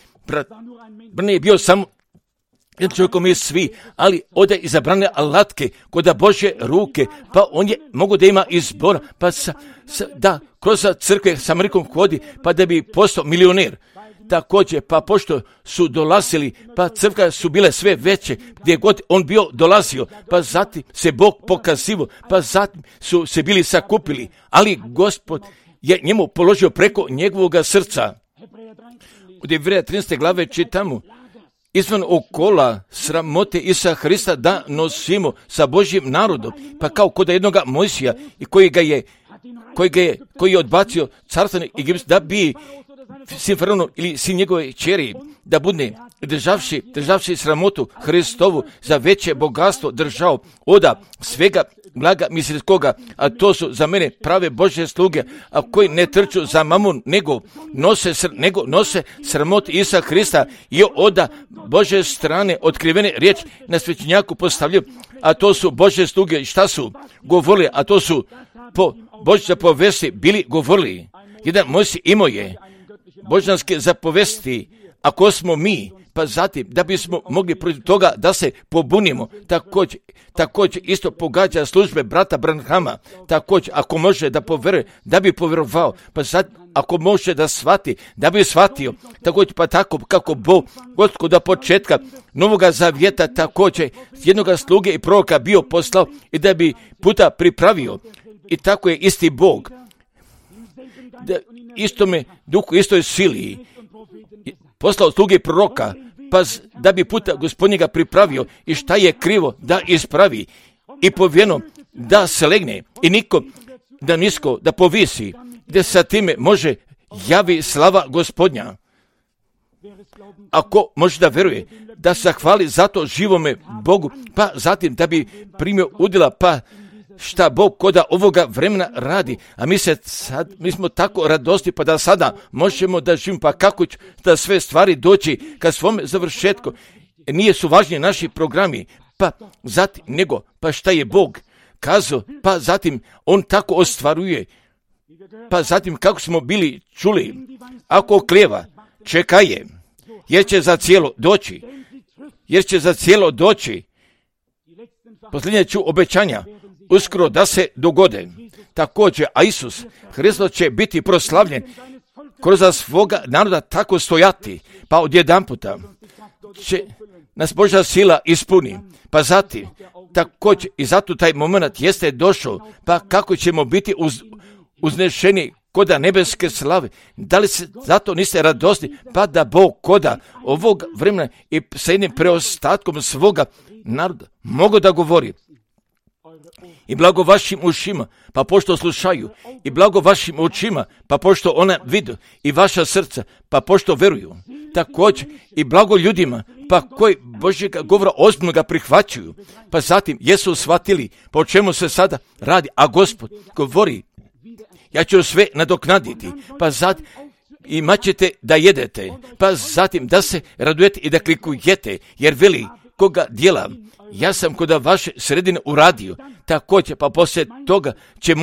Brne je bio samo jedan čovjekom je svi, ali ode izabrane alatke kod Božje ruke, pa on je mogu da ima izbora, pa da kroz crkve sa Amerikom hodi, pa da bi postao milioner. Također, pa pošto su dolazili, pa crkve su bile sve veće, gdje god on bio dolazio, pa zatim se Bog pokazivo, pa zatim su se bili sakupili, ali Gospod je njemu položio preko njegovog srca. U Jevreja 13. glave čitamo, izvan okola sramote Isusa Hrista da nosimo sa Božjim narodom, pa kao kod jednoga Mojsija i koji je odbacio carstvo Egipta da bi sin Faraonom ili sin njegove kćeri da bude državši sramotu Hristovu za veće bogatstvo držao oda svega blaga mislitskoga, a to su za mene prave Božje sluge, a koji ne trču za mamun, nego nose sramotu Isusa Hrista i oda Božje strane otkrivene riječ na svećenjaku postavljaju, a to su Božje sluge. Šta su govorili, a to su po Božje zapovesti bili govorili. Jedan Mojsij imao je božanske zapovesti, ako smo mi, pa zatim da bismo mogli protiv toga da se pobunimo, također isto pogađa službe brata Branhama, također ako može da poveruje, da bi povjerovao, pa zatim ako može da shvati, da bi shvatio, također pa tako kako Bog od početka Novoga Zavjeta također jednoga sluge i proroka bio poslao i da bi puta pripravio, i tako je isti Bog, da istome duhu, istoj sili poslao sluge i proroka, pa da bi puta Gospodnjega pripravio i šta je krivo da ispravi i povijeno da se legne i niko da nisko da povisi, gdje sa time može javi slava Gospodnja. Ako može da veruje, da se hvali zato živome Bogu, pa zatim da bi primio udjela, pa šta Bog koda ovoga vremena radi, a mi smo tako radosti, pa da sada možemo da živimo, pa kako će da sve stvari doći ka svome završetku. Nije su važni naši programi, pa zatim nego, pa šta je Bog kazao, pa zatim on tako ostvaruje, pa zatim kako smo bili čuli, ako oklijeva, čekaje, jer će za cijelo doći, posljednje ću obećanja, uskoro da se dogode. Također, a Isus Hristos će biti proslavljen kroz svoga naroda tako stojati, pa odjedanputa će nas Božja sila ispuni. Pa zatim, također, i zato taj moment jeste došao, pa kako ćemo biti uznešeni koda nebeske slave. Da li se zato niste radosni, pa da Bog koda ovog vremena i sa jednim preostatkom svoga naroda mogu da govori. I blago vašim ušima, pa pošto slušaju, i blago vašim očima, pa pošto ona vidu, i vaša srca, pa pošto veruju. Također, i blago ljudima, pa koji Božjega govora ozbiljno ga prihvaćaju, pa zatim jesu shvatili po čemu se sada radi, a Gospod govori, ja ću sve nadoknaditi, pa zatim imat ćete da jedete, pa zatim da se radujete i da klikujete, jer veli koga djela, ja sam kod vaše sredine uradio, također, pa poslije toga će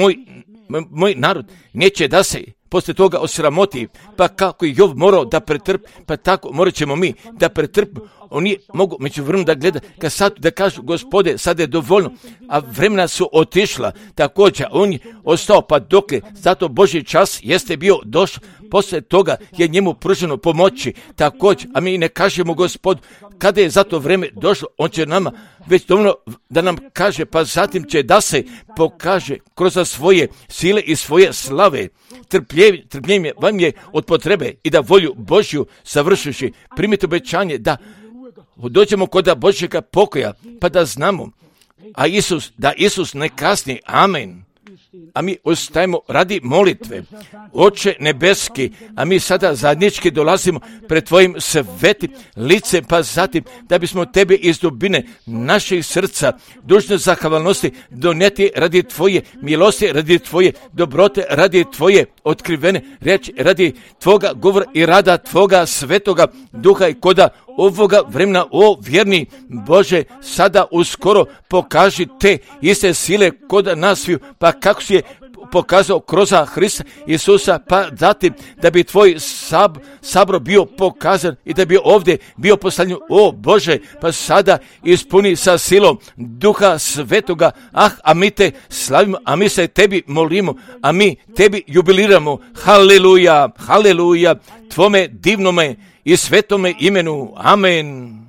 moj narod neće da se poslije toga osramoti, pa kako je Jov morao da pretrpi, pa tako morat ćemo mi da pretrpimo. Oni mogu među vremenu da gleda, kad sad da kažu, Gospode, sad je dovoljno, a vremena su otišla, također, on je ostao, pa dokle, zato Božji čas jeste bio došao, poslije toga je njemu pruženo pomoći, također, a mi ne kažemo Gospodu, kada je za to vrijeme došlo, on će nama već dovoljno da nam kaže, pa zatim će da se pokaže kroz svoje sile i svoje slave. Trpljenje vam je od potrebe i da volju Božju savršujući, primite obećanje da dođemo kod Božjega pokoja, pa da znamo, da Isus ne kasni. Amen. A mi ostajemo radi molitve. Oče nebeski, a mi sada zajednički dolazimo pred tvojim svetim licem, pa zatim da bismo tebe iz dubine naših srca dužne zahvalnosti donijeti radi tvoje milosti, radi tvoje dobrote, radi tvoje otkrivene riječi, radi tvoga govora i rada tvoga svetoga duha i koda ovoga vremena, o vjerni Bože, sada uskoro pokaži te iste sile kod nas sviju, pa kako si je pokazao kroz Hrista Isusa, pa zatim da bi tvoj sabor bio pokazan i da bi ovdje bio postavljen, o Bože, pa sada ispuni sa silom Duha Svetoga, a mi te slavimo, a mi se tebi molimo, a mi tebi jubiliramo, haleluja, haleluja, tvome divnome i svetome imenu, amen.